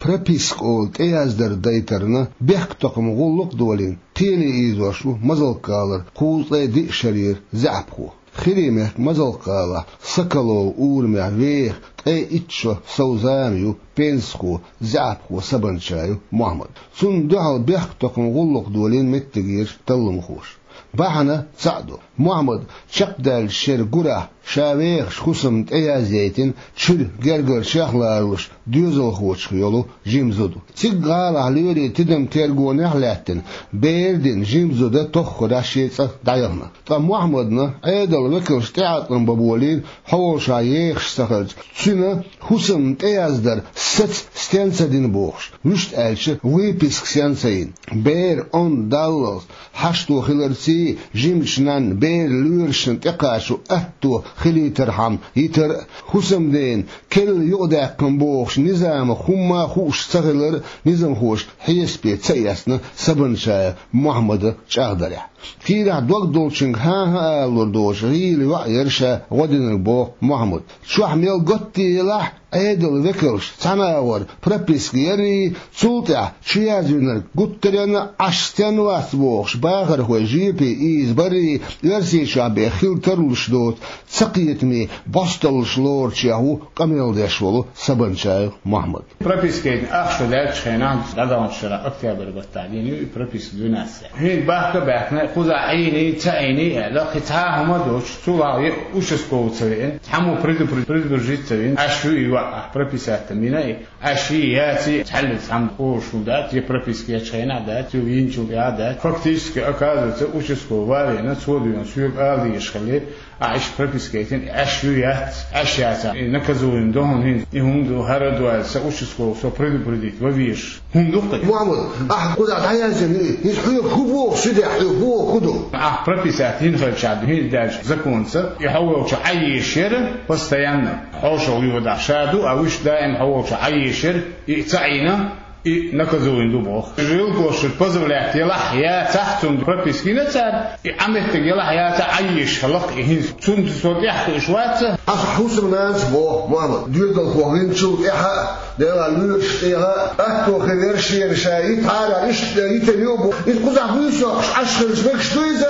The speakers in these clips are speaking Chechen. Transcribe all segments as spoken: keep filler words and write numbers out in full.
прописка олу тӀеяздар дайтарна бехктокхаман гӀуллакх а долийна, кхеле ийзош ву Мазалк-гӀалара кхузткъе диъ шарера заьӀапхо. ХӀирийн мехкан Мазалк-гӀалахь Соколово урамехь веха ткъе итт шо сов зама ю пенсахо, заьӀапхо Сабанчаев Мохьмад. Цунна дуьхьал бехктокхаман гӀуллакх долийна меттигерчу талламхоша. Бахьана цхьаъ ду. Мохьмад чекхдаьллачу шеран гурахь ша вехаш хӀусамна тӀеязъяйтина чуьра гергарчех ларалуш доьзалхочух йолу жима зуда. Цига гӀалахь лоьрийн тидам-тергонехь а лаьттина, бер дина жима зуда тоххара шен цӀа дӀаяхана. Ткъа Мохьмадна Ӏедалан векалша тӀеӀаткъам бан болийна, хьо волчохь ехаш ца хилча, цуьнан хӀусамна тӀеяздар саца стенна ца дина бохуш, вуьшта аьлча, выписка стенна ца йина. Бер, онда даллалц, хьашто хиларций, жимачу нанна беран лоьрашна тӀекхачо атто хилийтархьама йитар а, хӀусамдена керла юкъадаьккхина бохучу низамах хӀумма а хууш ца хилар а низамхоша хьесапе ца эцна Сабанчаев Мохьмадан чӀагӀдарехь. Кийрахь дог долчуьнга хӀан-хӀа алалур доцуш гӀийла йоӀ яра ша гӀо динарг, боху Мохьмада. Чохь мел готта елахь а, Ӏедалан векалша цхьана агӀор прописка ярий, цул тӀаьхьа чу язвинарг гуттаренна а Ӏаш стенна вац бохуш, бахархой жепе ийзабарий, Оьрсийчохь бен хила тарлуш доцу цакхетаме бӀосталлаш лоручех ву къамел деш волу Сабанчаев Мохьмад. Прописка яйтина ах шо даьллачу хенахь, дӀадаханчу шарахь октябрь баттахь дина ю и прописка двенадцать. ХӀинца бахка а баьхкина, кхузахь Ӏийний, ца Ӏийний аьлла, кхин цхьа а хӀума а доцуш, цул а участковый ца веана, цхьаммо предупред-, предупредить ца вина, Ӏаш ю и йоӀ, ахь прописать ца йина и, Ӏаш йий, яций, цхьаьллица цхьамма олуш хӀума дац, я прописка ечу хенахь дац, я йинчул тӀаьхьа дац. Фактически, оказывается, участковый ван а веана, цо дуьйна соьга ала дезаш хилла, ахь иштта прописка яйтина, Ӏаш ю, яц, Ӏаш яцахь, и наказуем ду хьуна хӀинца, и хӀума ду, хӀара ду аьлла, сан участковый со предупредить ван везаш хӀума ду-кх и. Мохьмад, ахь кхузахь дӀаяздина ю и, иза хьоьга хӀун боху, судья хьоьга хӀун боху, хӀун ду? Ахь прописать йина хилчахь, хӀинца даьллачу законца, и хьо волчохь Ӏаеш яра постоянно, хьошалгӀа йодахь ша ду, а вуьшта даим хьо волчохь Ӏаеш яра, и ца Ӏийна, и наказуем ду боху. Жилплощадь позавлять елахь, яцахь, цунна прописка йина цара, и Ӏан меттиг елахь, яцахь, Ӏаеш хилла-кх и хӀинца. Цунна со тӀаьхьа хууш вац. Аса хӀусамнанас боху, Мохьмад, доьзалхо винчул тӀаьхьа а, делахь лоьраш тӀехьа а, атто хир яра шена ша, и тхьара иштта йитина ю бу. Иза кхузахь буьйса йоккхуш Ӏаш хилча мегаш ду иза?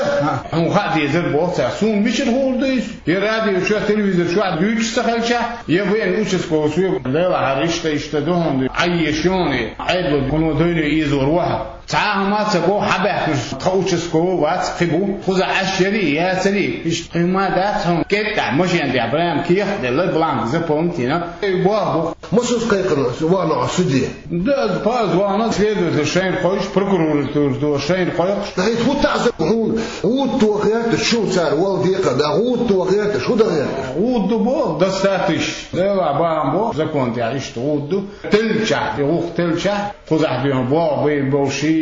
Хьуна хаа дезар боху цара, суна мичара хуур ду иза? Я радио чохь, телевизор чохь дуьйцуш ца хилчахь, я вайна участковый соьга, делахь, хӀара иштта, иштта ду хьуна, Ӏаеш ю хьуна и, Ӏедало хӀума дойне ийзор ву хьо. Цхьа а хӀума ца боху, хьабаьхкинарш тхан участковый вац, кхин бу. Кхузахь Ӏаш ярий, яцарий, иштта кхин хӀума дац хьуна. КӀентахь машен тӀехь прямо кехат а делла, бланк заполнить йина, и боху бу. Масаза кхайкхина вахана хьо суде? Да, паза вахана, следователь шайна кхойкхуш, прокуратура шайна кхойкхуш. ТӀаккха хӀун таӀзар хьуна? ГӀуда тоха гӀерташ шу цара, вала декхар да, гӀуда тоха гӀерташ, хӀун дан гӀерташ? ГӀуда ду боху, достаточно. Делахь бахьана боху, закон тӀехь иштта гӀуда ду. Теллачахь, и гӀуллакх теллачахь, кхузахь дуьйна боху, бай, бовший,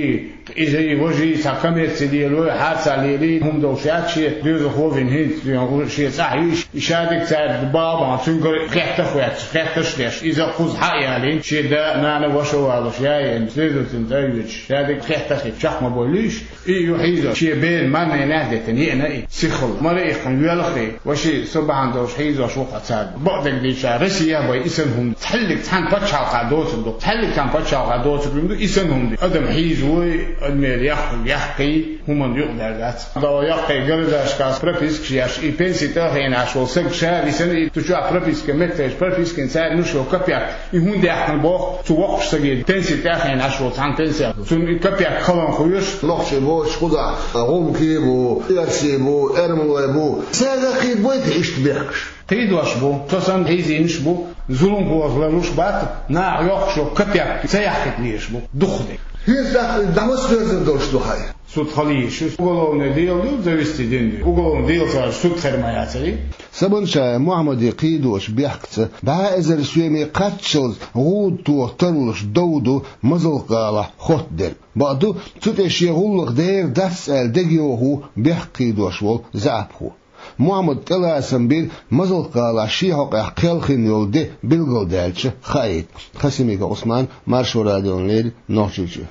иза и важий, цхьа коммерци лелой, хьарца лелий, хӀума долуш яц шен доьзалхо вина хӀинца, шен цӀахь йиш, и шадерг цаьрга бахьана, цуьнгара хеттарш а хетташ, хеттарш а деш, иза кхуза хьа а ялийна, шен да, нана, ваша а валош, яйена, следовательна тӀе а йоьдуш, шадерг хеттарш а чекх ма бойла уьш, и ю хьийзош, шен бер марненехь а деттина, еана и, сихалла, мара а иккхина, воьлхий, ваший, со бахьана долуш хьийзош ву-кх цара. Бакъдерг дийцича, Россехь бен и санна хӀума ду. Цхьаьллиг цхьана пачхьалкхехь доцург ду. Цхьаьллиг цхьана пачхьалкхехь доцург хӀума ду, и санна хӀума ду. Адам хьийзавой, адамера яххалг яхкий, хӀуманна юкъадаьлла дац. Дала яккхий, городашкахь пропискаш еш, и пенси тӀе а хиъна Ӏаш волу саг ша висина, и цу чохь прописка меттигаш, пропискин цара луш йолу копеек, и хӀунда яьккхина боху цу воккхачу саге, пенси тӀе а хиъна Ӏаш волу цхьана пенсия. Цунна и копеек халонаш хуьйш. Нохчий боцуш кхузахь гӀумкий бу, оьрсий бу, эрмалой бу. Цаьрга кхийдабой те иштта бехкаш? Кхийдош бу, со санна хьийзийнаш бу, зуламхоша ларлуш бац, наха йоккхуш йолу копеек ца яхкийта лелаш бу, дукха де. ХӀинца тӀаккха дӀа маца доьзна долуш ду хьайн? Суд хила йиш ю, уголовное дело ду, завести дина ду. Уголовное дело ца яц, суд хир ма яцарий. Сабанчаев Мохьмадан кхийдочу бехкаца, бӀе эзар соьме кхаччалц гӀуда тоха тарлуш дов ду Мазалк-гӀалахь хоттадерг. Бакъду, цу тӀе шен гӀуллакх дер дац аьлла дегайовхо ву бехк кхийдош волу заьӀапхо. Мохьмада тӀелацам бира Мазалк-гӀалахь шен хьокъехь кхелхина йолу де билгалдаьлча хаийта. Хасимиков Ӏусман, Маршо радиона леррина, Нохчийчоь.